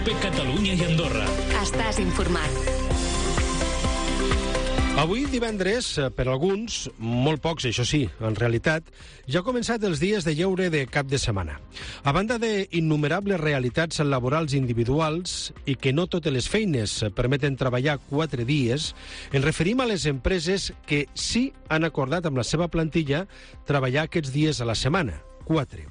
COPE Catalunya i Andorra. Estàs informat. Avui, divendres, per alguns, molt pocs, això sí, en realitat, ja ha començat els dies de lleure de cap de setmana. A banda d'innumerables realitats laborals individuals i que no totes les feines permeten treballar 4 dies, ens referim a les empreses que sí han acordat amb la seva plantilla treballar aquests dies a la setmana, 4.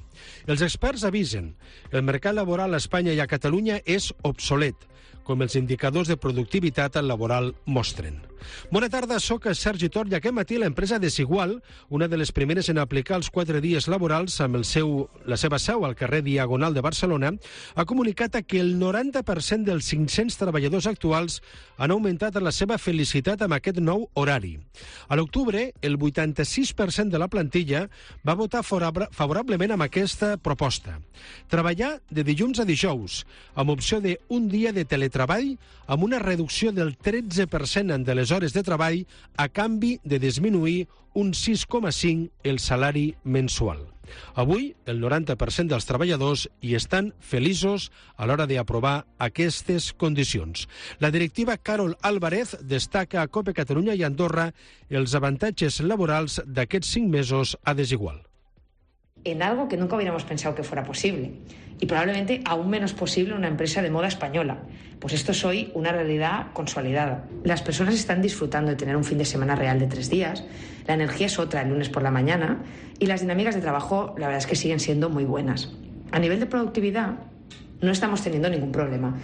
Els experts avisen, el mercat laboral a Espanya i a Catalunya és obsolet, com els indicadors de productivitat laboral mostren. Bona tarda, soc Sergi Tor i aquest matí l'empresa Desigual, una de les primeres en aplicar els 4 dies laborals amb la seva seu al carrer Diagonal de Barcelona, ha comunicat que el 90% dels 500 treballadors actuals han augmentat la seva felicitat amb aquest nou horari. A l'octubre, el 86% de la plantilla va votar favorablement amb aquesta proposta. Treballar de dilluns a dijous, amb opció d'un dia de teletreball, amb una reducció del 13% de les hores de treball a canvi de disminuir un 6,5 el salari mensual. Avui, el 90% dels treballadors hi estan feliços a l'hora d'aprovar aquestes condicions. La directiva Carol Álvarez destaca a COPE Catalunya i Andorra els avantatges laborals d'aquests 5 mesos a Desigual. En algo que nunca hubiéramos pensado que fuera posible y probablemente aún menos posible en una empresa de moda española. Pues esto es hoy una realidad consolidada. Las personas están disfrutando de tener un fin de semana real de 3 días, la energía es otra el lunes por la mañana y las dinámicas de trabajo la verdad es que siguen siendo muy buenas. A nivel de productividad no estamos teniendo ningún problema.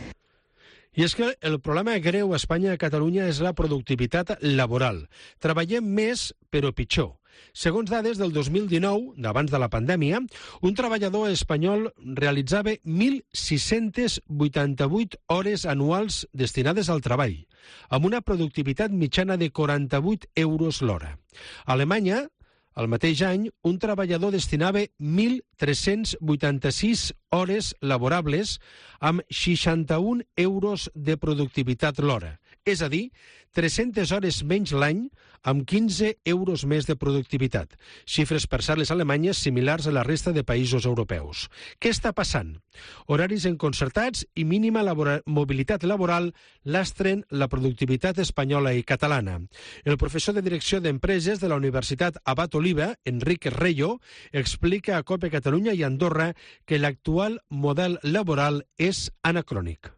I és que el problema greu a Espanya i a Catalunya és la productivitat laboral. Treballem més, però pitjor. Segons dades del 2019, d'abans de la pandèmia, un treballador espanyol realitzava 1.688 hores anuals destinades al treball, amb una productivitat mitjana de 48 euros l'hora. A Alemanya, al mateix any, un treballador destinava 1.386 hores laborables amb 61 euros de productivitat l'hora. És a dir, 300 hores menys l'any amb 15 euros més de productivitat. Xifres, per cert, les alemanyes similars a la resta de països europeus. Què està passant? Horaris enconcertats i mínima mobilitat laboral lastren la productivitat espanyola i catalana. El professor de Direcció d'Empreses de la Universitat Abat Oliva, Enrique Reyo, explica a COPE Catalunya i Andorra que l'actual model laboral és anacrònic.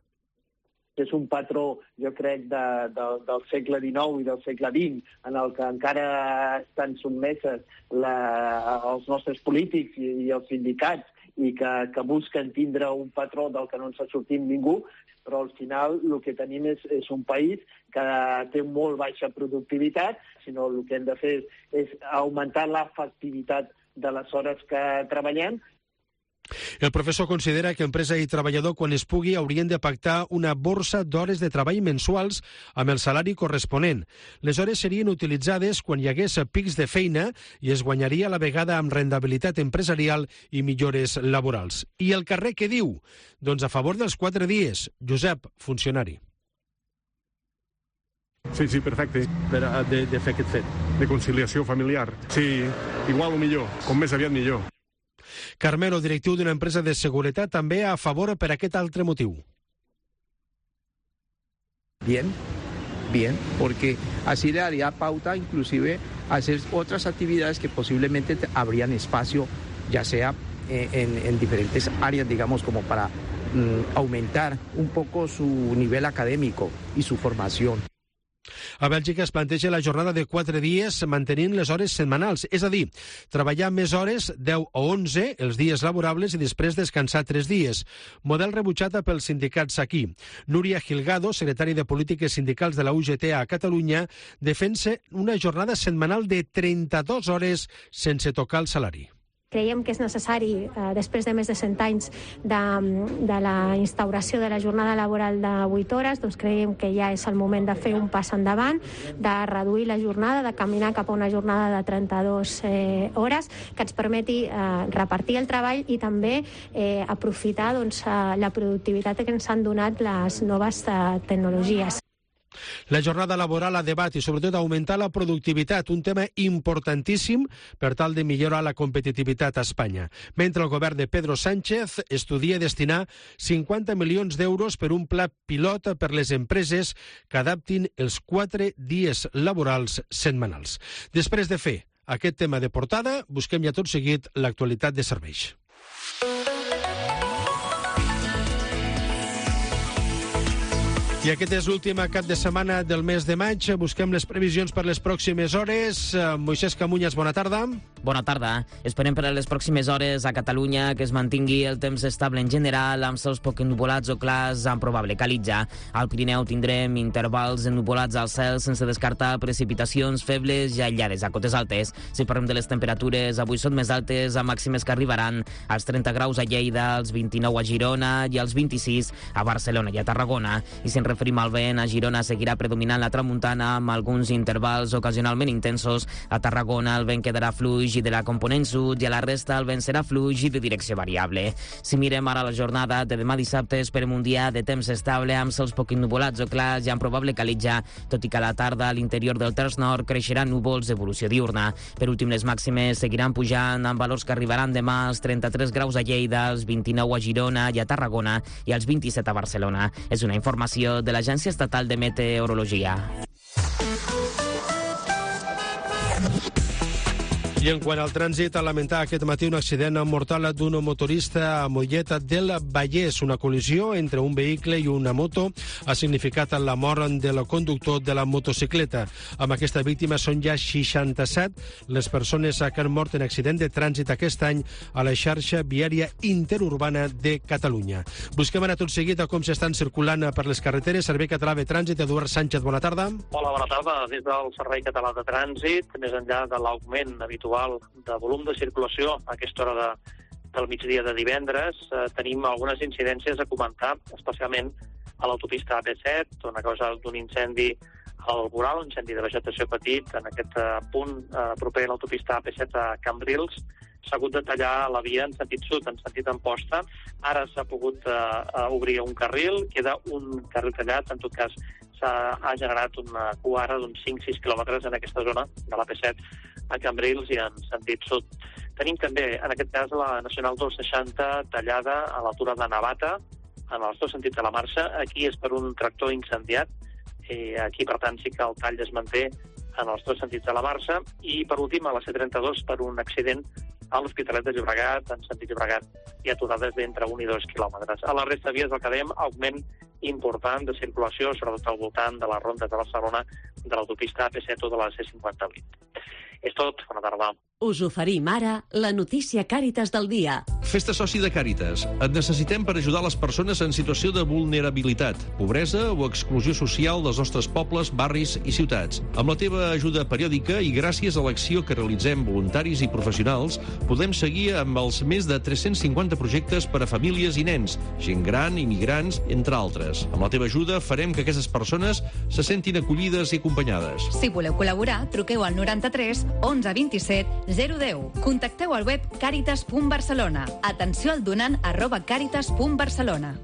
És un patró, jo crec, del segle XIX i del segle XX, en el que encara estan sotmeses els nostres polítics i els sindicats i que busquen tindre un patró del que no ens ha sortit ningú, però al final el que tenim és un país que té molt baixa productivitat, sinó el que hem de fer és augmentar l'efectivitat de les hores que treballem. El professor considera que empresa i treballador, quan es pugui, haurien de pactar una borsa d'hores de treball mensuals amb el salari corresponent. Les hores serien utilitzades quan hi hagués pics de feina i es guanyaria a la vegada amb rendibilitat empresarial i millores laborals. I el carrer què diu? Doncs a favor dels 4 dies. Josep, funcionari. Sí, perfecte. De fer aquest fet. De conciliació familiar. Sí, igual o millor. Com més aviat millor. Carmelo, directiu d'una empresa de seguretat, també a favor per aquest altre motiu. Bien, porque así le daría pauta inclusive a hacer otras actividades que posiblemente habrían espacio, ya sea en diferentes áreas, digamos, como para aumentar un poco su nivel académico y su formación. A Bèlgica es planteja la jornada de 4 dies mantenint les hores setmanals, és a dir, treballar més hores, 10 o 11, els dies laborables i després descansar 3 dies. Model rebutjat pels sindicats aquí. Núria Gilgado, secretari de Polítiques Sindicals de la UGT a Catalunya, defensa una jornada setmanal de 32 hores sense tocar el salari. Creiem que és necessari, després de més de 100 anys de la instauració de la jornada laboral de 8 hores, doncs creiem que ja és el moment de fer un pas endavant, de reduir la jornada, de caminar cap a una jornada de 32 hores, que ens permeti repartir el treball i també aprofitar la productivitat que ens han donat les noves tecnologies. La jornada laboral a debat i sobretot augmentar la productivitat, un tema importantíssim per tal de millorar la competitivitat a Espanya. Mentre el govern de Pedro Sánchez estudia destinar 50 milions d'euros per un pla pilot per les empreses que adaptin els 4 dies laborals setmanals. Després de fer aquest tema de portada, busquem ja tot seguit l'actualitat de serveis. I aquest és l'últim cap de setmana del mes de maig. Busquem les previsions per les pròximes hores. Moisès Camuñas, bona tarda. Bona tarda. Esperem per a les pròximes hores a Catalunya que es mantingui el temps estable en general, amb cels poc ennuvolats o clars amb probable calitja. Al Pirineu tindrem intervals ennuvolats al cel sense descartar precipitacions febles i aïllades a cotes altes. Si parlem de les temperatures, avui són més altes, amb màximes que arribaran als 30 graus a Lleida, als 29 a Girona i als 26 a Barcelona i a Tarragona. I si referim al vent, a Girona seguirà predominant la tramuntana amb alguns intervals ocasionalment intensos. A Tarragona el vent quedarà fluix i de la component sud i a la resta el vent serà fluix i de direcció variable. Si mirem ara la jornada de demà dissabte, esperem un dia de temps estable amb cels poc ennuvolats o clars i amb probable calitja, tot i que a la tarda a l'interior del terç nord creixeran núvols d'evolució diurna. Per últim, les màximes seguiran pujant amb valors que arribaran demà als 33 graus a Lleida, als 29 a Girona i a Tarragona i als 27 a Barcelona. És una informació de l'Agència Estatal de Meteorologia. I en quant al trànsit, a lamentar aquest matí un accident mortal d'un motorista a Mollet del Vallès. Una col·lisió entre un vehicle i una moto ha significat la mort del conductor de la motocicleta. Amb aquesta víctima són ja 67 les persones que han mort en accident de trànsit aquest any a la xarxa viària interurbana de Catalunya. Busquem ara tot seguit a com s'estan circulant per les carreteres. Servei Català de Trànsit, Eduard Sánchez, bona tarda. Hola, bona tarda. Des del Servei Català de Trànsit, més enllà de l'augment habitual de volum de circulació a aquesta hora del migdia de divendres, tenim algunes incidències a comentar, especialment a l'autopista AP7, on a causa d'un incendi al voral, un incendi de vegetació petit, en aquest punt proper a l'autopista AP7 a Cambrils, s'ha hagut de tallar la via en sentit sud, en sentit Amposta. Ara s'ha pogut obrir un carril, queda un carril tallat, en tot cas ha generat una cua ara d'uns 5-6 quilòmetres en aquesta zona de l'AP7 a Cambrils i en sentit sud. Tenim també, en aquest cas, la Nacional 260 tallada a l'altura de Navata, en els dos sentits de la marxa. Aquí és per un tractor incendiat. Aquí, per tant, sí que el tall es manté en els dos sentits de la marxa. I, per últim, a la C32 per un accident a l'Hospitalet de Llobregat, en sentit Llobregat, i aturades d'entre 1 i 2 quilòmetres. A la resta de vies del que dèiem, augment important de circulació, sobretot al voltant de les rondes de Barcelona, de l'autopista AP7 o de la C58. És tot. Bona tarda. Us oferim ara la notícia Càritas del dia. Fes-te soci de Càritas. Et necessitem per ajudar les persones en situació de vulnerabilitat, pobresa o exclusió social dels nostres pobles, barris i ciutats. Amb la teva ajuda periòdica i gràcies a l'acció que realitzem voluntaris i professionals, podem seguir amb els més de 350 projectes per a famílies i nens, gent gran, immigrants, entre altres. Amb la teva ajuda farem que aquestes persones se sentin acollides i acompanyades. Si voleu col·laborar, truqueu al 93 11 27 010. Contacteu al web caritas.barcelona. Atenció al donant @caritas.barcelona.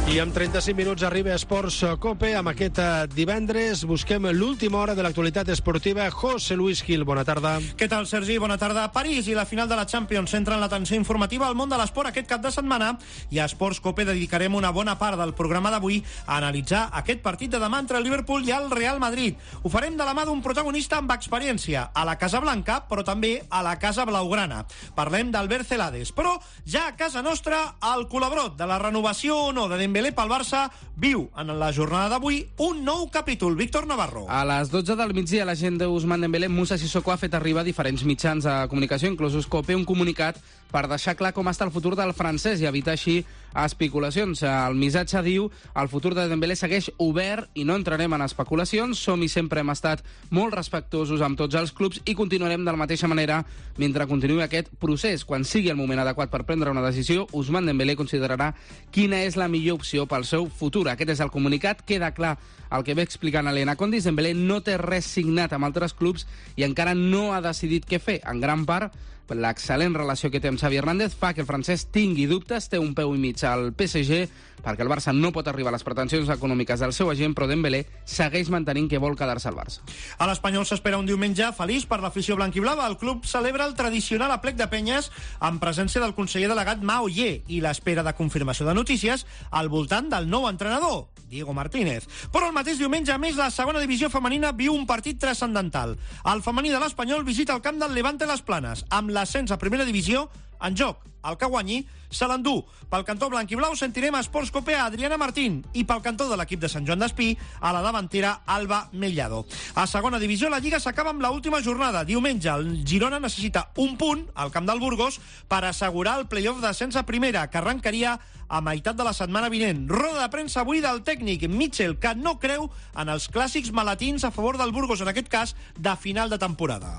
I amb 35 minuts arriba Esports Cope. Amb aquest divendres busquem l'última hora de l'actualitat esportiva. José Luis Gil, bona tarda. Què tal, Sergi? Bona tarda. París i la final de la Champions centren l'atenció informativa al món de l'esport aquest cap de setmana, i a Esports Cope dedicarem una bona part del programa d'avui a analitzar aquest partit de demà entre el Liverpool i el Real Madrid. Ho farem de la mà d'un protagonista amb experiència a la Casa Blanca, però també a la Casa Blaugrana. Parlem d'Albert Celades, però ja a casa nostra el col·laborat de la renovació o no de Dembélé pel Barça viu en la jornada d'avui un nou capítol. Víctor Navarro. A les 12 del migdia l'agent d'Ousmane Dembélé, Moussa Sissoko, ha fet arribar a diferents mitjans de comunicació, inclosos Cope, un comunicat per deixar clar com està el futur del francès i evitar així especulacions. El missatge diu: el futur de Dembélé segueix obert i no entrarem en especulacions, som i sempre hem estat molt respectuosos amb tots els clubs i continuarem de la mateixa manera mentre continuï aquest procés. Quan sigui el moment adequat per prendre una decisió, Ousmane Dembélé considerarà quina és la millor opció pel seu futur. Aquest és el comunicat. Queda clar el que ve explicant Elena Condis. Dembélé no té res signat amb altres clubs i encara no ha decidit què fer. En gran part, l'excel·lent relació que té amb Xavi Hernández fa que el francès tingui dubtes, té un peu i mig al PSG, perquè el Barça no pot arribar a les pretensions econòmiques del seu agent, però Dembélé segueix mantenint que vol quedar-se al Barça. A l'Espanyol s'espera un diumenge feliç per l'afició blanquiblava. El club celebra el tradicional aplec de penyes en presència del conseller delegat Ma Ollé i l'espera de confirmació de notícies al voltant del nou entrenador, Diego Martínez. Però el mateix diumenge, a més, la segona divisió femenina viu un partit transcendental. El femení de l'Espanyol visita el camp del Levante Les Planes, amb l'ascens a primera divisió en joc. El que guanyi se l'endú. Pel cantó blanc-i-blau sentirem a Esports Cope a Adriana Martín i pel cantó de l'equip de Sant Joan d'Espí a la davantera Alba Mellado. A segona divisió la Lliga s'acaba amb l'última jornada. Diumenge el Girona necessita un punt al camp del Burgos per assegurar el play-off d'ascens a primera, que arrencaria a meitat de la setmana vinent. Roda de premsa avui del tècnic Mitchell, que no creu en els clàssics malatins a favor del Burgos, en aquest cas de final de temporada.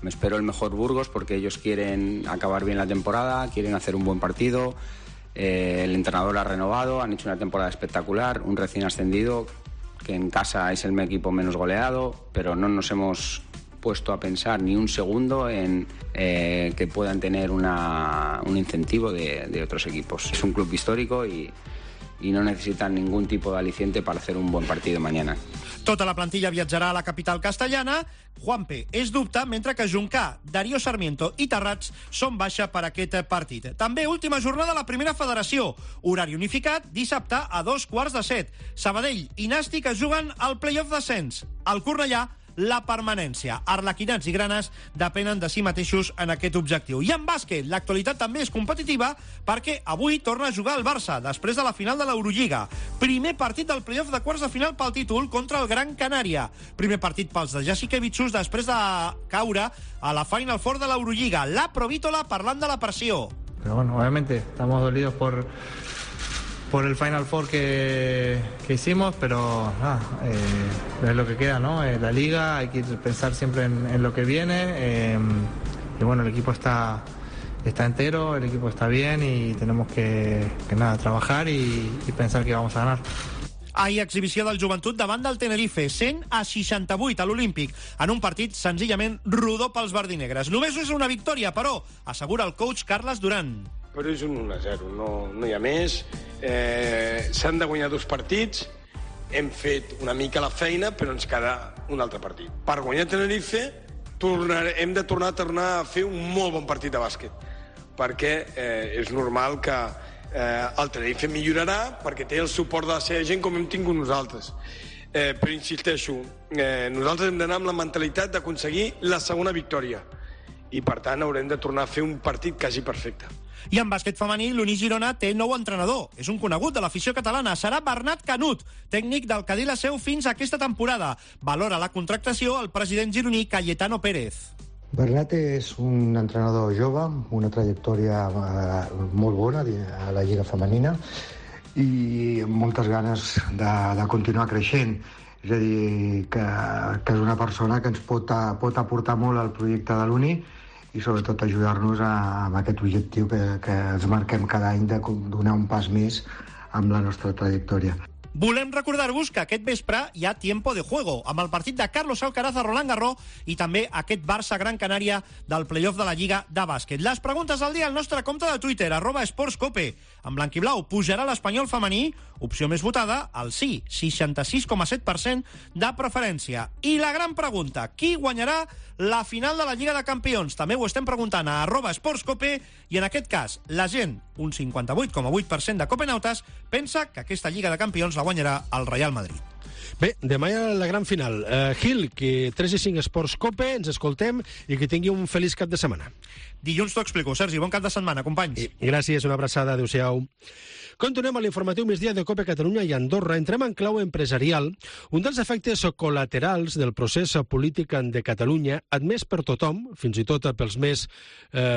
Me espero el mejor Burgos porque ellos quieren acabar bien la temporada, quieren hacer un buen partido. El entrenador ha renovado, han hecho una temporada espectacular, un recién ascendido que en casa es el equipo menos goleado, pero no nos hemos puesto a pensar ni un segundo en que puedan tener un incentivo de otros equipos. Es un club histórico y no necesitan ningún tipo de aliciente para hacer un buen partido mañana. Tota la plantilla viatjarà a la capital castellana. Juanpe és dubte, mentre que Juncà, Darío Sarmiento i Terrats són baixa per aquest partit. També última jornada a la primera federació. Horari unificat, dissabte a 2:15. Sabadell i Nàstic es juguen al play-off d'ascens. El Cornellà, la permanència. Arlequinats i Granes depenen de si mateixos en aquest objectiu. I en bàsquet, l'actualitat també és competitiva perquè avui torna a jugar el Barça després de la final de l'Eurolliga. Primer partit del play-off de quarts de final pel títol contra el Gran Canària. Primer partit pels de Jasikevičius després de caure a la Final Four de l'Eurolliga. La Provítola parlant de la pressió. Pero bueno, obviamente estamos dolidos por el Final Four que hicimos, pero es lo que queda, ¿no? La liga, hay que pensar siempre en lo que viene, y bueno, el equipo está entero, el equipo está bien y tenemos que trabajar y pensar que vamos a ganar. Ahir exhibició del Joventut davant del Tenerife, 100-68 a l'Olímpic, en un partit senzillament rodó pels verdinegres. Només és una victòria, però, assegura el coach Carles Duran. Però és un 1-0, no hi ha més. S'han de guanyar 2 partits, hem fet una mica la feina, però ens queda un altre partit. Per guanyar Tenerife hem de tornar a fer un molt bon partit de bàsquet, perquè és normal que el Tenerife millorarà, perquè té el suport de la seva gent com hem tingut nosaltres. Però insisteixo, nosaltres hem d'anar amb la mentalitat d'aconseguir la segona victòria i per tant haurem de tornar a fer un partit quasi perfecte. I en bàsquet femení, l'Uni Girona té nou entrenador. És un conegut de l'afició catalana. Serà Bernat Canut, tècnic del Cadí la Seu fins a aquesta temporada. Valora la contractació el president gironí Cayetano Pérez. Bernat és un entrenador jove, una trajectòria molt bona a la Lliga Femenina i moltes ganes de continuar creixent. És a dir, que és una persona que ens pot aportar molt al projecte de l'Uni i sobretot ajudar-nos amb aquest objectiu que ens marquem cada any de donar un pas més amb la nostra trajectòria. Volem recordar-vos que aquest vespre hi ha tiempo de juego, amb el partit de Carlos Alcaraz a Roland Garros i també aquest Barça-Gran Canària del play-off de la Lliga de bàsquet. Les preguntes del dia al nostre compte de Twitter, @esportscope. En blanc i blau pujarà l'Espanyol femení, opció més votada, el sí, 66,7% de preferència. I la gran pregunta, qui guanyarà la final de la Lliga de Campions? També ho estem preguntant a @esportscope i en aquest cas la gent, un 58,8% de copenautes, pensa que aquesta Lliga de Campions la guanyarà el Real Madrid. Bé, demà hi ha la gran final. Gil, que 3-5 Esports Cope, ens escoltem i que tingui un feliç cap de setmana. Dilluns t'ho explico, Sergi. Bon cap de setmana, companys. Gràcies, una abraçada, adéu-siau. Continuem a l'informatiu migdia de Cope Catalunya i Andorra. Entrem en clau empresarial. Un dels efectes col·laterals del procés polític de Catalunya, admès per tothom, fins i tot pels més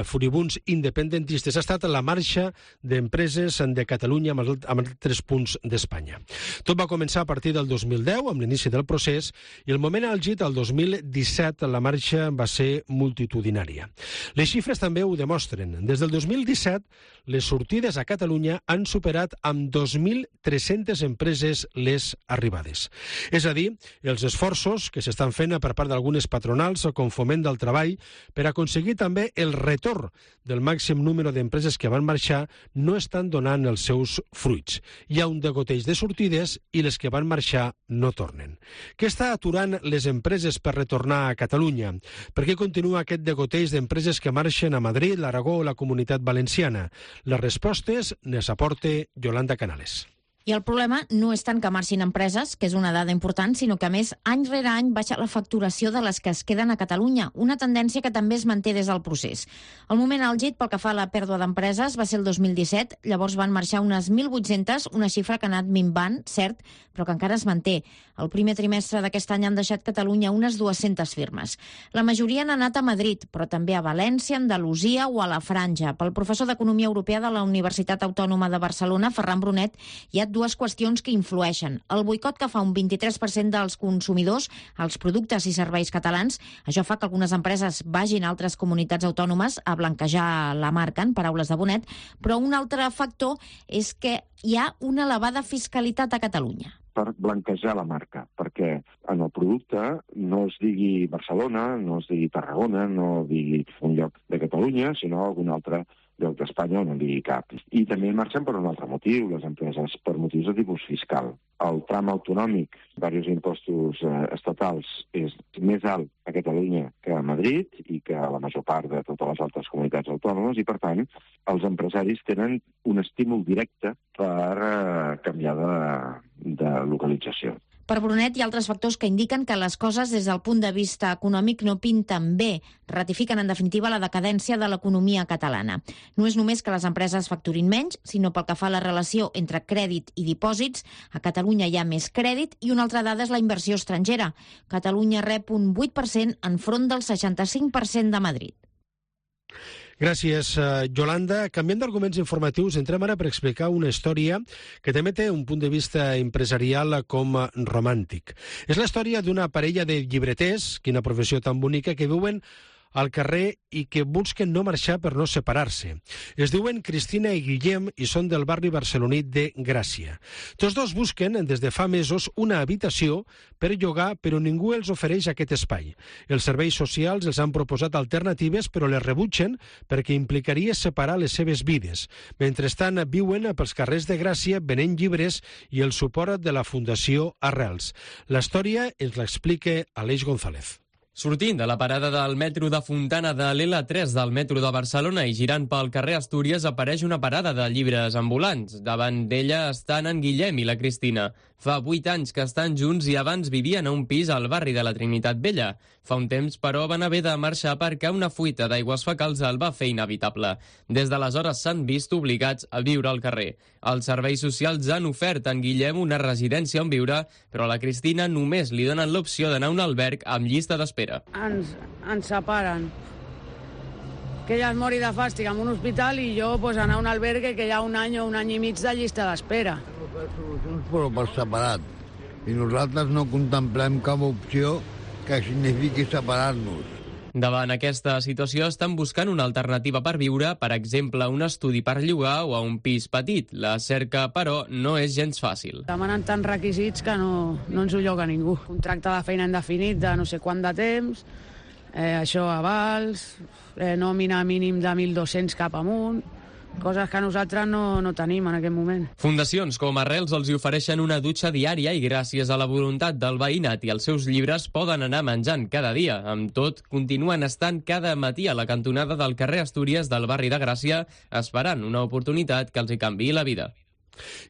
furibuns independentistes, ha estat la marxa d'empreses de Catalunya amb altres punts d'Espanya. Tot va començar a partir del 2000 2010, amb l'inici del procés, i el moment àlgid, el 2017, la marxa va ser multitudinària. Les xifres també ho demostren. Des del 2017, les sortides a Catalunya han superat amb 2.300 empreses les arribades. És a dir, els esforços que s'estan fent per part d'algunes patronals com Foment del Treball per aconseguir també el retorn del màxim número d'empreses que van marxar no estan donant els seus fruits. Hi ha un degoteig de sortides i les que van marxar no tornen. Què està aturant les empreses per retornar a Catalunya? Per què continua aquest degoteig d'empreses que marxen a Madrid, l'Aragó o la Comunitat Valenciana? Les respostes les aporta Yolanda Canales. I el problema no és tant que marxin empreses, que és una dada important, sinó que, a més, any rere any baixa la facturació de les que es queden a Catalunya, una tendència que també es manté des del procés. El moment àlgid pel que fa a la pèrdua d'empreses va ser el 2017, llavors van marxar unes 1.800, una xifra que ha anat minvant, cert, però que encara es manté. El primer trimestre d'aquest any han deixat Catalunya unes 200 firmes. La majoria han anat a Madrid, però també a València, Andalusia o a la Franja. Pel professor d'Economia Europea de la Universitat Autònoma de Barcelona, Ferran Brunet, hi ha dues qüestions que influeixen. El boicot que fa un 23% dels consumidors als productes i serveis catalans, això fa que algunes empreses vagin a altres comunitats autònomes a blanquejar la marca, en paraules de Bonet, però un altre factor és que hi ha una elevada fiscalitat a Catalunya. Per blanquejar la marca, perquè en el producte no es digui Barcelona, no es digui Tarragona, no digui un lloc de Catalunya, sinó algun altre lloc d'Espanya on no digui cap. I també marxen per un altre motiu, les empreses, per motius de tipus fiscal. El tram autonòmic, diversos impostos estatals, és més alt a Catalunya que a Madrid i que a la major part de totes les altres comunitats autònomes, i per tant els empresaris tenen un estímul directe per canviar de localització. Per Brunet hi ha altres factors que indiquen que les coses des del punt de vista econòmic no pinten bé. Ratifiquen, en definitiva, la decadència de l'economia catalana. No és només que les empreses facturin menys, sinó pel que fa a la relació entre crèdit i dipòsits. A Catalunya hi ha més crèdit i una altra dada és la inversió estrangera. Catalunya rep un 8% enfront del 65% de Madrid. Gràcies, Yolanda. Canviant d'arguments informatius, entrem ara per explicar una història que també té un punt de vista empresarial com romàntic. És la història d'una parella de llibreters, quina professió tan bonica, que viuen al carrer i que busquen no marxar per no separar-se. Es diuen Cristina i Guillem i són del barri barceloní de Gràcia. Tots dos busquen, des de fa mesos, una habitació per llogar, però ningú els ofereix aquest espai. Els serveis socials els han proposat alternatives, però les rebutgen perquè implicaria separar les seves vides. Mentrestant, viuen pels carrers de Gràcia venent llibres i el suport de la Fundació Arrels. La història ens l'explica Aleix González. Sortint de la parada del metro de Fontana de l'L3 del metro de Barcelona i girant pel carrer Astúries apareix una parada de llibres ambulants. Davant d'ella estan en Guillem i la Cristina. Fa 8 anys que estan junts i abans vivien a un pis al barri de la Trinitat Vella. Fa un temps, però, van haver de marxar perquè una fuita d'aigües fecals el va fer inevitable. Des d'aleshores s'han vist obligats a viure al carrer. Els serveis socials han ofert a en Guillem una residència on viure, però a la Cristina només li donen l'opció d'anar a un alberg amb llista d'espera. Ens separen. Que ella es mori de fàstic en un hospital i jo anar a un albergue que hi ha un any o un any i mig de llista d'espera. Però per separat. I nosaltres no contemplem cap opció que signifiqui separar-nos. Davant aquesta situació estan buscant una alternativa per viure, per exemple, un estudi per llogar o a un pis petit. La cerca, però, no és gens fàcil. Demanen tants requisits que no ens ho lloga ningú. Contracte de feina indefinit de no sé quant de temps, això avals, nòmina mínim de 1.200 cap amunt, coses que nosaltres no tenim en aquest moment. Fundacions com Arrels els hi ofereixen una dutxa diària i gràcies a la voluntat del veïnat i els seus llibres poden anar menjant cada dia. Amb tot, continuen estant cada matí a la cantonada del carrer Astúries del barri de Gràcia esperant una oportunitat que els hi canviï la vida.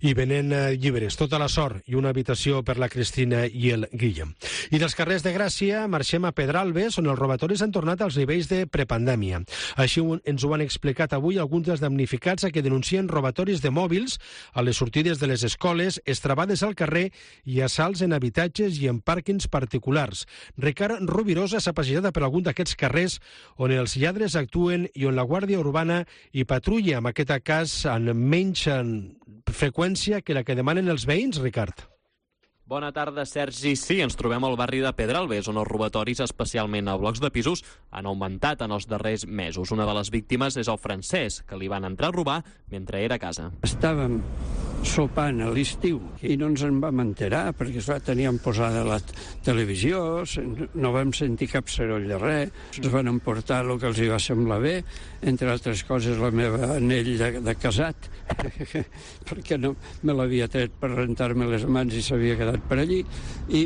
I venent llibres, tota la sort i una habitació per la Cristina i el Guillem. I dels carrers de Gràcia marxem a Pedralbes, on els robatoris han tornat als nivells de prepandèmia. Així ens ho han explicat avui alguns dels damnificats a que denuncien robatoris de mòbils a les sortides de les escoles, estrabades al carrer i assalts en habitatges i en pàrquings particulars. Ricard Rubirosa s'ha passejat per algun d'aquests carrers on els lladres actuen i on la Guàrdia Urbana hi patrulla, en aquest cas amb menys freqüència que la que demanen els veïns, Ricard. Bona tarda, Sergi. Sí, ens trobem al barri de Pedralbes, on els robatoris, especialment a blocs de pisos, han augmentat en els darrers mesos. Una de les víctimes és el Francesc, que li van entrar a robar mentre era a casa. Estàvem sopant a l'estiu i no ens en vam enterar, perquè esclar, teníem posada la televisió, no vam sentir cap soroll de res, ens van emportar el que els hi va semblar bé, entre altres coses la meva anell de casat, perquè no me l'havia tret per rentar-me les mans i s'havia quedat per allí, i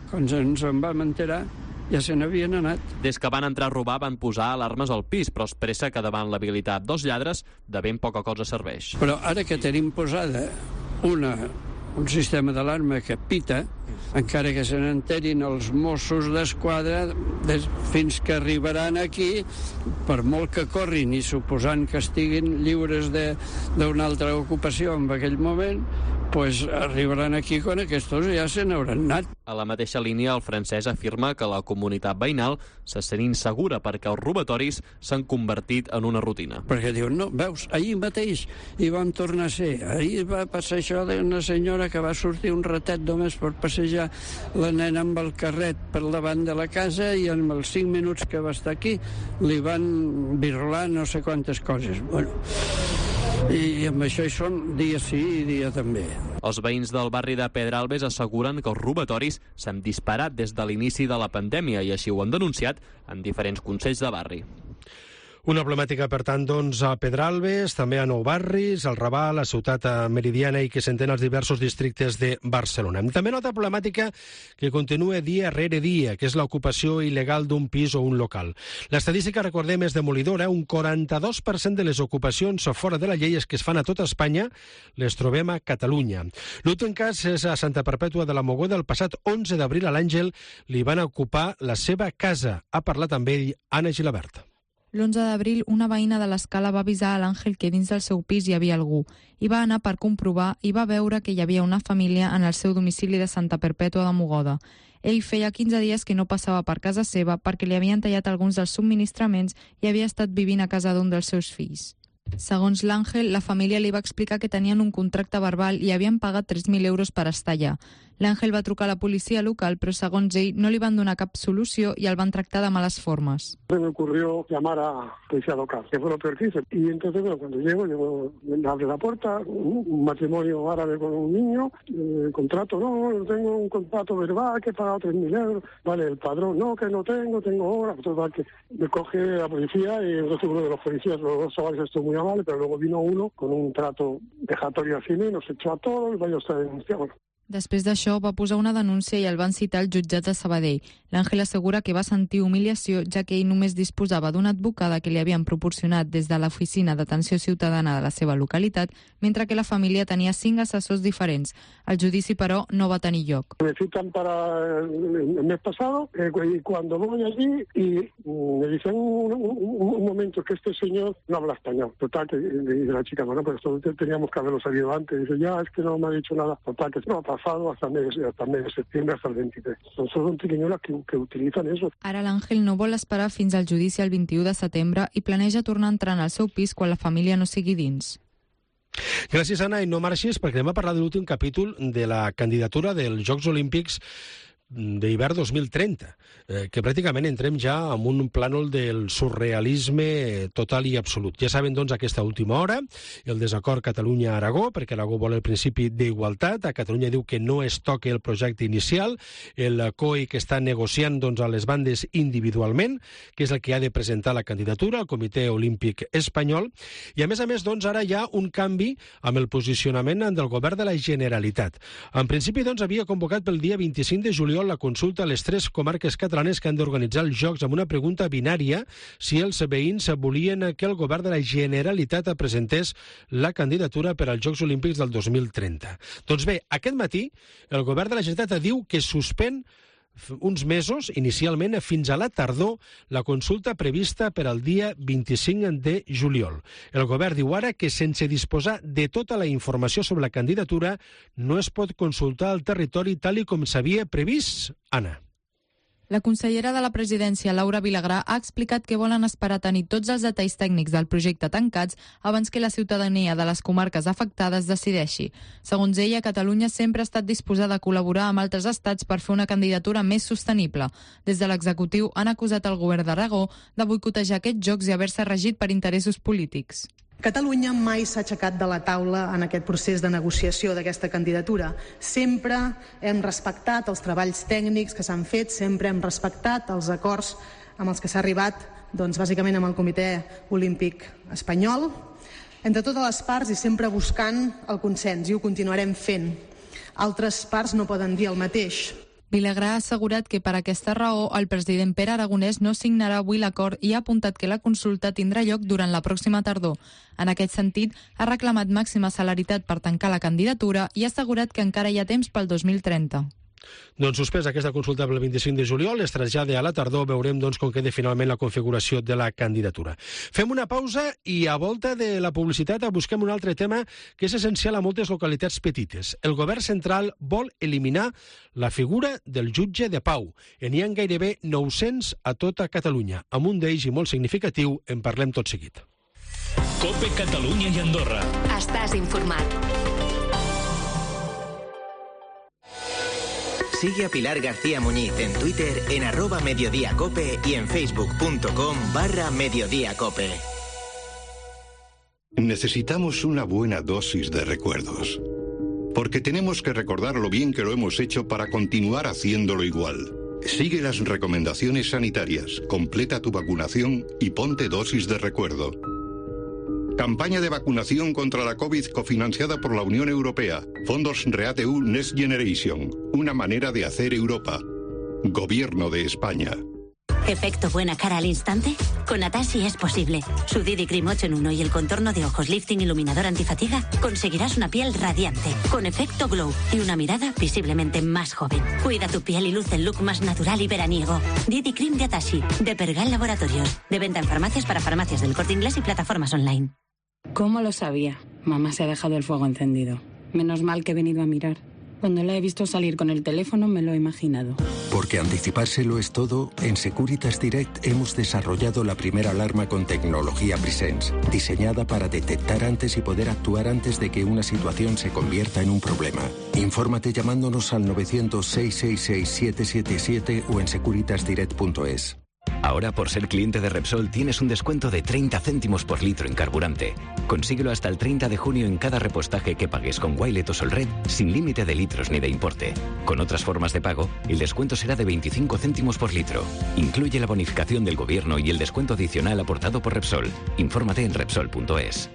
quan ens en vam enterar ja se n'havien anat. Des que van entrar a robar van posar alarmes al pis, però es pressa que davant l'habilitat dels lladres de ben poca cosa serveix. Però ara que tenim posada un sistema d'alarma que pita, encara que se n'enterin els Mossos d'Esquadra, fins que arribaran aquí, per molt que corrin i suposant que estiguin lliures d'una altra ocupació en aquell moment, pues arribaran aquí quan aquests ja se n'hauran anat. A la mateixa línia, el Francesc afirma que la comunitat veïnal se sent insegura perquè els robatoris s'han convertit en una rutina. Perquè diuen, no, veus, ahir mateix hi vam tornar a ser. Ahir va passar això d'una senyora que va sortir un ratet només per passejar la nena amb el carret per davant de la casa i en els 5 minuts que va estar aquí li van virlar no sé quantes coses. Bueno, i amb això hi són dia sí i dia també. Els veïns del barri de Pedralbes asseguren que els robatoris s'han disparat des de l'inici de la pandèmia i així ho han denunciat en diferents consells de barri. Una problemàtica, per tant, doncs, a Pedralbes, també a Nou Barris, al Raval, a Ciutat Meridiana i que s'entén als diversos districtes de Barcelona. També una altra problemàtica que continua dia rere dia, que és l'ocupació il·legal d'un pis o un local. L'estadística, recordem, és demolidora. Un 42% de les ocupacions fora de la llei que es fan a tota Espanya les trobem a Catalunya. L'últim cas és a Santa Perpètua de la Mogoda. El passat 11 d'abril a l'Àngel li van ocupar la seva casa. Ha parlat amb ell Anna Gilabert. L'11 d'abril, una veïna de l'Escala va avisar a l'Àngel que dins del seu pis hi havia algú. Hi va anar per comprovar i va veure que hi havia una família en el seu domicili de Santa Perpètua de Mogoda. Ell feia 15 dies que no passava per casa seva perquè li havien tallat alguns dels subministraments i havia estat vivint a casa d'un dels seus fills. Segons l'Àngel, la família li va explicar que tenien un contracte verbal i havien pagat 3.000 euros per estar allà. L'Àngel va trucar a la policia local, però segons ell no li van donar cap solució i el van tractar de males formes. Se me ocurrió llamar a policía local, que fue lo peor que hice. Y entonces, bueno, cuando llego, me abre la puerta, un matrimonio árabe con un niño, contrato, no tengo un contrato verbal que he pagado 3.000 euros. Vale, el padrón, no, que no tengo hora. Total, que me coge la policía y entonces uno de los policías, los dos chavales estuvo muy amable, pero luego vino uno con un trato vejatorio al cine, nos echó a todos, vaya usted a denunciar. Bueno. Després d'això, va posar una denúncia i el van citar al jutjat de Sabadell. L'Àngel assegura que va sentir humiliació, ja que ell només disposava d'una advocada que li havien proporcionat des de l'Oficina d'Atenció Ciutadana de la seva localitat, mentre que la família tenia 5 assessors diferents. El judici, però, no va tenir lloc. Me citan para el mes pasado y cuando voy allí y me dicen un momento que este señor no habla español. Total, que dice la chica, bueno, pues esto teníamos que haberlo sabido antes. Dice, ya, es que no me ha dicho nada. Total, que no pasado hasta el mes de septiembre, hasta el 23. Són triquiñolas que utilitzen eso. Ara l'Àngel no vol esperar fins al judici el 21 de setembre i planeja tornar a entrar al seu pis quan la família no sigui dins. Gràcies, Anna, i no marxis perquè anem a parlar de l'últim capítol de la candidatura dels Jocs Olímpics d'hivern 2030, que pràcticament entrem ja en un plànol del surrealisme total i absolut. Ja saben, doncs, aquesta última hora, el desacord Catalunya-Aragó, perquè Aragó vol el principi d'igualtat, a Catalunya diu que no es toque el projecte inicial, el COI que està negociant, doncs, a les bandes individualment, que és el que ha de presentar la candidatura al Comitè Olímpic Espanyol, i a més, doncs, ara hi ha un canvi amb el posicionament del govern de la Generalitat. En principi, doncs, havia convocat pel dia 25 de juliol la consulta a les 3 comarques catalanes que han d'organitzar els Jocs amb una pregunta binària si els veïns volien que el govern de la Generalitat presentés la candidatura per als Jocs Olímpics del 2030. Doncs bé, aquest matí el govern de la Generalitat diu que suspèn uns mesos, inicialment fins a la tardor, la consulta prevista per al dia 25 de juliol. El govern diu ara que sense disposar de tota la informació sobre la candidatura no es pot consultar el territori tal i com s'havia previst, Anna. La consellera de la presidència, Laura Vilagrà, ha explicat que volen esperar a tenir tots els detalls tècnics del projecte tancats abans que la ciutadania de les comarques afectades decideixi. Segons ella, Catalunya sempre ha estat disposada a col·laborar amb altres estats per fer una candidatura més sostenible. Des de l'executiu han acusat el govern d'Aragó de boicotejar aquests jocs i haver-se regit per interessos polítics. Catalunya mai s'ha aixecat de la taula en aquest procés de negociació d'aquesta candidatura. Sempre hem respectat els treballs tècnics que s'han fet, sempre hem respectat els acords amb els que s'ha arribat, bàsicament amb el Comitè Olímpic Espanyol, entre totes les parts i sempre buscant el consens, i ho continuarem fent. Altres parts no poden dir el mateix. Vilagrà ha assegurat que per aquesta raó el president Pere Aragonès no signarà avui l'acord i ha apuntat que la consulta tindrà lloc durant la pròxima tardor. En aquest sentit, ha reclamat màxima celeritat per tancar la candidatura i ha assegurat que encara hi ha temps pel 2030. Doncs suspès aquesta consulta pel 25 de juliol, es trasllada a la tardor, veurem com queda finalment la configuració de la candidatura. Fem una pausa i a volta de la publicitat busquem un altre tema que és essencial a moltes localitats petites. El govern central vol eliminar la figura del jutge de pau. N'hi ha gairebé 900 a tota Catalunya. Amb un d'ells i molt significatiu en parlem tot seguit. COPE Catalunya i Andorra. Estàs informat. Sigue a Pilar García Muñiz en Twitter en @mediodíacope y en facebook.com/mediodíacope. Necesitamos una buena dosis de recuerdos. Porque tenemos que recordar lo bien que lo hemos hecho para continuar haciéndolo igual. Sigue las recomendaciones sanitarias, completa tu vacunación y ponte dosis de recuerdo. Campaña de vacunación contra la COVID cofinanciada por la Unión Europea. Fondos REATEU Next Generation. Una manera de hacer Europa. Gobierno de España. ¿Efecto buena cara al instante? Con Atashi es posible. Su DD Cream 8 en 1 y el contorno de ojos lifting iluminador antifatiga conseguirás una piel radiante, con efecto glow y una mirada visiblemente más joven. Cuida tu piel y luce el look más natural y veraniego. DD Cream de Atashi, de Pergal Laboratorios. De venta en farmacias para farmacias del Corte Inglés y plataformas online. ¿Cómo lo sabía? Mamá se ha dejado el fuego encendido. Menos mal que he venido a mirar. Cuando la he visto salir con el teléfono me lo he imaginado. Porque anticipárselo es todo, en Securitas Direct hemos desarrollado la primera alarma con tecnología Presence, diseñada para detectar antes y poder actuar antes de que una situación se convierta en un problema. Infórmate llamándonos al 900-666-777 o en securitasdirect.es. Ahora, por ser cliente de Repsol, tienes un descuento de 30 céntimos por litro en carburante. Consíguelo hasta el 30 de junio en cada repostaje que pagues con Wilet o Solred, sin límite de litros ni de importe. Con otras formas de pago, el descuento será de 25 céntimos por litro. Incluye la bonificación del gobierno y el descuento adicional aportado por Repsol. Infórmate en Repsol.es.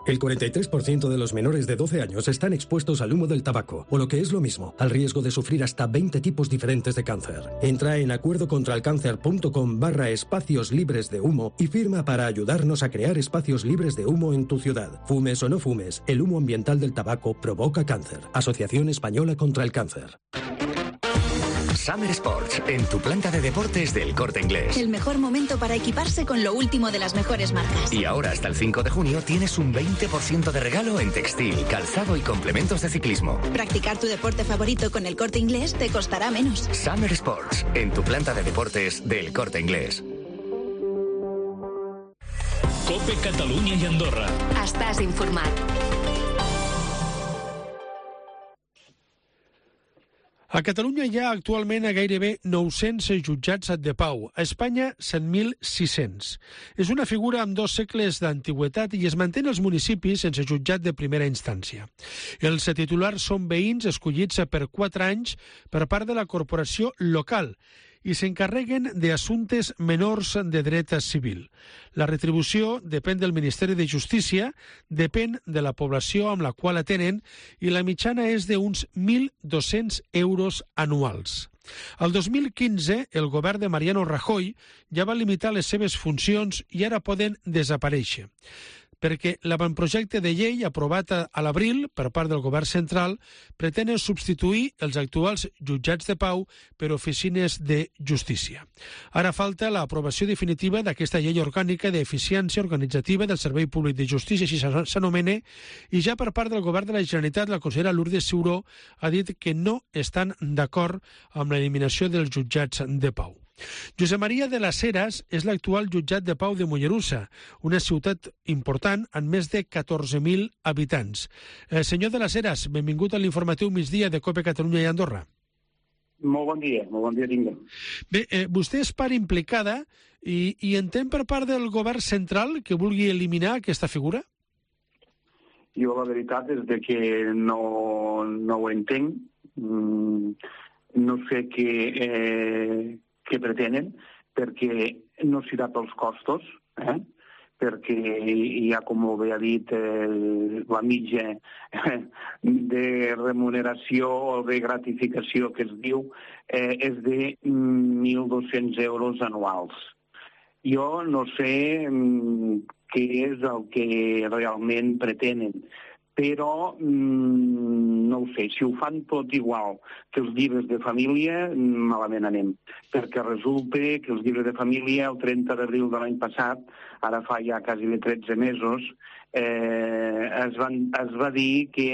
El 43% de los menores de 12 años están expuestos al humo del tabaco, o lo que es lo mismo, al riesgo de sufrir hasta 20 tipos diferentes de cáncer. Entra en acuerdocontralcáncer.com/espacios libres de humo y firma para ayudarnos a crear espacios libres de humo en tu ciudad. Fumes o no fumes, el humo ambiental del tabaco provoca cáncer. Asociación Española contra el Cáncer. Summer Sports, en tu planta de deportes del Corte Inglés. El mejor momento para equiparse con lo último de las mejores marcas. Y ahora hasta el 5 de junio tienes un 20% de regalo en textil, calzado y complementos de ciclismo. Practicar tu deporte favorito con el Corte Inglés te costará menos. Summer Sports, en tu planta de deportes del Corte Inglés. COPE Catalunya i Andorra. Estàs informat. A Catalunya hi ha actualment gairebé 900 jutjats de pau. A Espanya, 100.600. És una figura amb 2 segles d'antiguitat i es manté als municipis sense jutjat de primera instància. Els titulars són veïns escollits per 4 anys per part de la corporació local i s'encarreguen d'assumptes menors de dret civil. La retribució depèn del Ministeri de Justícia, depèn de la població amb la qual atenen i la mitjana és d'uns 1.200 euros anuals. El 2015, el govern de Mariano Rajoy ja va limitar les seves funcions i ara poden desaparèixer. perquè l'avantprojecte de llei aprovat a l'abril per part del govern central pretén substituir els actuals jutjats de pau per oficines de justícia. Ara falta l'aprovació definitiva d'aquesta llei orgànica d'eficiència organitzativa del Servei Públic de Justícia, així s'anomena, i ja per part del govern de la Generalitat, la consellera Lourdes Ciuró ha dit que no estan d'acord amb l'eliminació dels jutjats de pau. Josep Maria de las Heras és l'actual jutjat de pau de Mollerussa, una ciutat important amb més de 14.000 habitants. Senyor de las Heras, benvingut a l'informatiu migdia de COPE Catalunya i Andorra. Molt bon dia tinguem. Bé, vostè és part implicada i entén per part del govern central que vulgui eliminar aquesta figura? Jo la veritat és que no ho entenc. No sé què pretenen, perquè no serà pels costos, perquè ja, com bé ha dit, la mitja de remuneració o de gratificació que es diu és de 1.200 euros anuals. Jo no sé què és el que realment pretenen, però no ho sé, si ho fan tot igual que els llibres de família, malament anem, perquè resulta que els llibres de família el 30 d'abril de l'any passat, ara fa ja quasi 13 mesos, es va dir que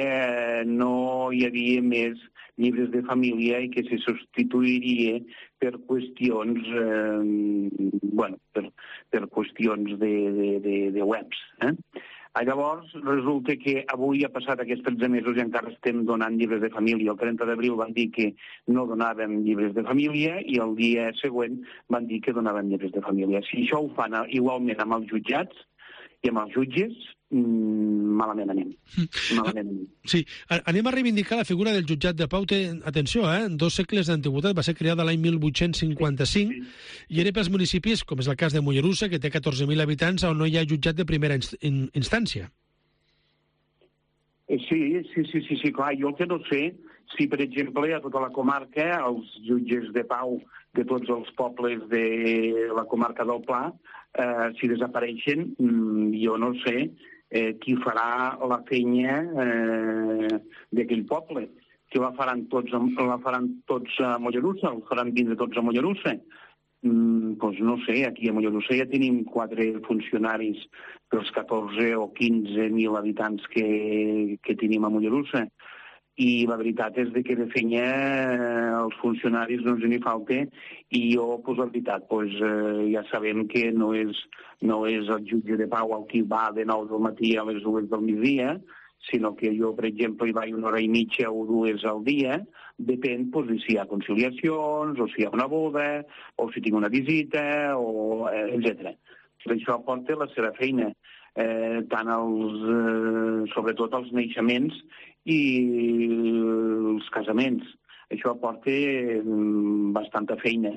no hi havia més llibres de família i que se substituiria per qüestions, per qüestions de webs. Llavors, resulta que avui ha passat aquests 13 mesos i encara estem donant llibres de família. El 30 d'abril van dir que no donàvem llibres de família i el dia següent van dir que donàvem llibres de família. Si això ho fan igualment amb els jutjats i amb els jutges, malament anem. Sí, anem a reivindicar la figura del jutjat de pau. Atenció, 2 segles d'antiguitat, va ser creada l'any 1855 i era pels municipis, com és el cas de Mollerussa, que té 14.000 habitants, on no hi ha jutjat de primera instància. Sí, clar. Jo el que no sé, si per exemple a tota la comarca els jutges de pau de tots els pobles de la comarca del Pla, si desapareixen, jo no sé qui farà la feina d'aquell poble. Que la faran tots a Mollerussa, el faran vindre tots a Mollerussa. Doncs no sé, aquí a Mollerussa ja tenim 4 funcionaris pels 14 o 15.000 habitants que tenim a Mollerussa. I la veritat és que de feina els funcionaris no ens n'hi falta i jo, la veritat, ja sabem que no és el jutge de pau el qui va de 9 del matí a les 2 del migdia, sinó que jo, per exemple, hi vaig 1 hora i mitja o 2 al dia, depèn de si hi ha conciliacions, o si hi ha una boda, o si tinc una visita, etc. Això aporta la seva feina, sobretot els naixements i els casaments. Això aporta bastanta feina.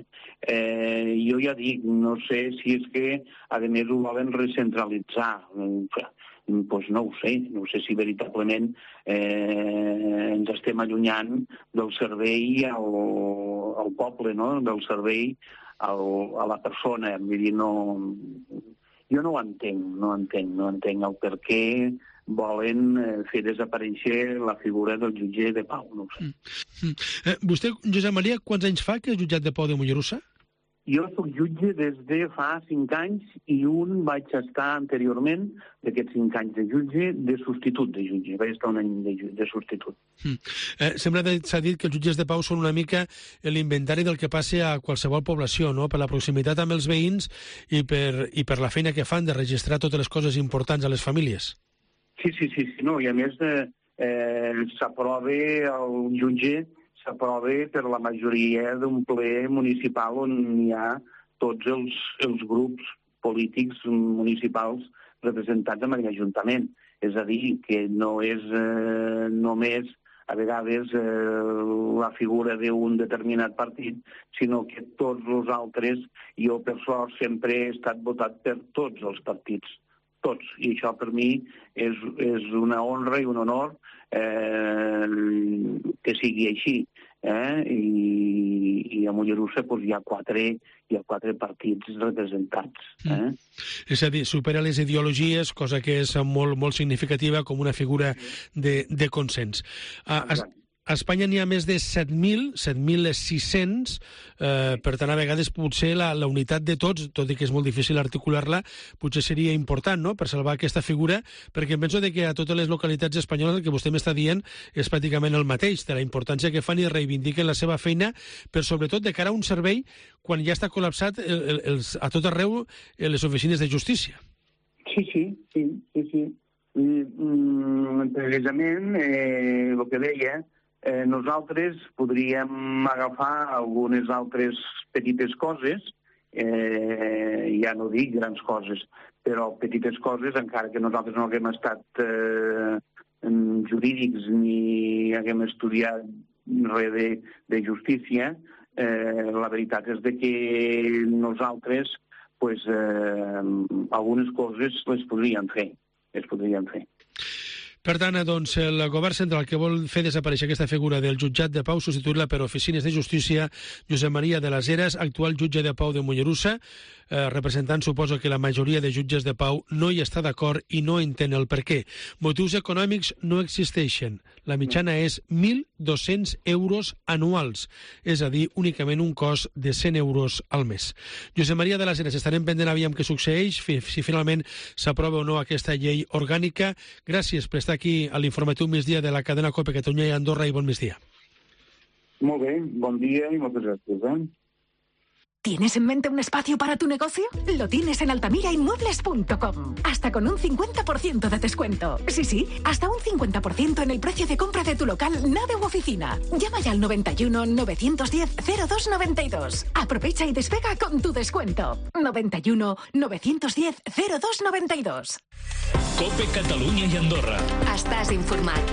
Jo ja dic, no sé si és que, a més, ho volen recentralitzar. Doncs no ho sé si veritablement ens estem allunyant del servei al poble, no? Del servei a la persona. Vull dir, jo no ho entenc el per què volen fer desaparèixer la figura del jutge de pau, no ho sé. Vostè, Josep Maria, quants anys fa que és jutjat de pau de Mollerussa? Jo soc jutge des de fa 5 anys i vaig estar anteriorment, d'aquests 5 anys de jutge, de substitut de jutge. Vaig estar un any de substitut. Sempre s'ha dit que els jutges de pau són una mica l'inventari del que passa a qualsevol població, no? Per la proximitat amb els veïns i per la feina que fan de registrar totes les coses importants a les famílies. Sí, no, i a més s'aprova el jutge per la majoria d'un ple municipal on hi ha tots els grups polítics municipals representats en l'Ajuntament. És a dir, que no és només a vegades la figura d'un determinat partit, sinó que tots els altres, jo per sort sempre he estat votat per tots els partits. Tots. I això per mi és una honra i un honor que sigui així. i a Mollerussa hi ha quatre partits representats. És a dir, supera les ideologies, cosa que és molt, molt significativa com una figura de consens. A Espanya n'hi ha més de 7.600, per tant, a vegades potser la unitat de tots, tot i que és molt difícil articular-la, potser seria important, no?, per salvar aquesta figura, perquè em penso que a totes les localitats espanyoles el que vostè m'està dient és pràcticament el mateix, de la importància que fan i reivindiquen la seva feina, però sobretot de cara a un servei quan ja està col·lapsat a tot arreu les oficines de justícia. Sí. Precisament, el que deia, nosaltres podríem agafar algunes altres petites coses, ja no dic grans coses, però petites coses, encara que nosaltres no haguem estat jurídics ni haguem estudiat res de justícia, la veritat és que nosaltres algunes coses les podríem fer. Per tant, doncs, el govern central que vol fer desaparèixer aquesta figura del jutjat de pau, substituir-la per oficines de justícia, Josep Maria de les Heras, actual jutge de pau de Mollerussa, representant, suposo que la majoria de jutges de pau no hi està d'acord i no entén el per què. Motius econòmics no existeixen. La mitjana és 1.200 euros anuals, és a dir, únicament un cost de 100 euros al mes. Josep Maria de les Heras, estarem pendent aviam què succeeix, si finalment s'aprova o no aquesta llei orgànica. Gràcies per estar aquí a l'informatiu migdia de la cadena COPE Catalunya i Andorra i bon migdia. Molt bé, bon dia i moltes gràcies. ¿Tienes en mente un espacio para tu negocio? Lo tienes en altamirainmuebles.com. Hasta con un 50% de descuento. Sí, hasta un 50% en el precio de compra de tu local, nave u oficina. Llama ya al 91 910 0292. Aprovecha y despega con tu descuento. 91 910 0292. COPE Catalunya i Andorra. Estàs informat.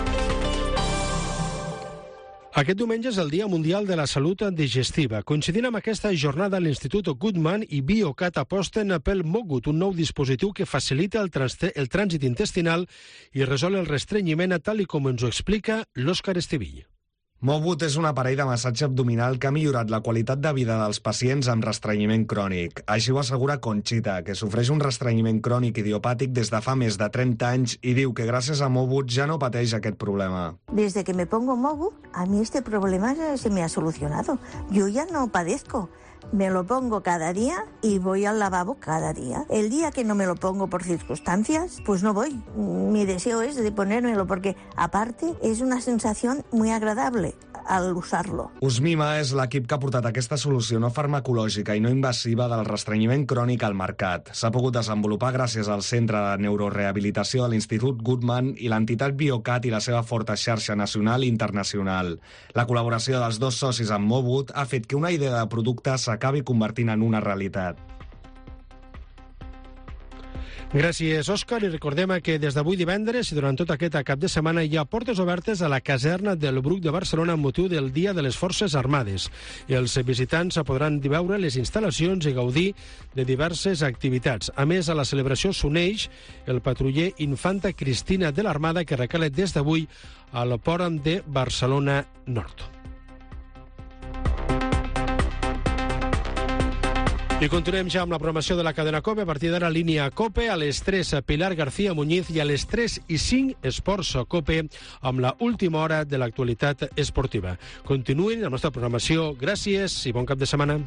Aquest diumenge és el Dia Mundial de la Salut Digestiva. Coincidint amb aquesta jornada, l'Institut Goodman i Biocat aposten pel Mogut, un nou dispositiu que facilita el trànsit intestinal i resol el restrenyiment, tal com ens ho explica l'Òscar Estivill. Mogut és un aparell de massatge abdominal que ha millorat la qualitat de vida dels pacients amb restrenyiment crònic. Així ho assegura Conchita, que sofreix un restrenyiment crònic idiopàtic des de fa més de 30 anys i diu que gràcies a Mogut ja no pateix aquest problema. Desde que me pongo Mogut, a mí este problema se me ha solucionado. Yo ya no padezco. Me lo pongo cada día y voy al lavabo cada día. El día que no me lo pongo por circunstancias, pues no voy. Mi deseo es de ponérmelo porque, aparte, es una sensación muy agradable al usarlo. Usmima és l'equip que ha portat aquesta solució no farmacològica i no invasiva del restrenyiment crònic al mercat. S'ha pogut desenvolupar gràcies al Centre de Neurorehabilitació de l'Institut Goodman i l'entitat Biocat i la seva forta xarxa nacional i internacional. La col·laboració dels dos socis amb Mogut ha fet que una idea de producte s'acabi convertint en una realitat. Gràcies, Òscar, i recordem que des d'avui divendres i durant tot aquest cap de setmana hi ha portes obertes a la caserna del Bruc de Barcelona amb motiu del Dia de les Forces Armades. Els visitants podran veure les instal·lacions i gaudir de diverses activitats. A més, a la celebració s'uneix el patruller Infanta Cristina de l'Armada que recala des d'avui al port de Barcelona Nord. I continuem ja amb la programació de la cadena COPE. A partir d'ara, línia COPE, a les 3 Pilar García Muñiz i a les 3:05 Esports COPE amb la última hora de l'actualitat esportiva. Continuïn la nostra programació. Gràcies i bon cap de setmana.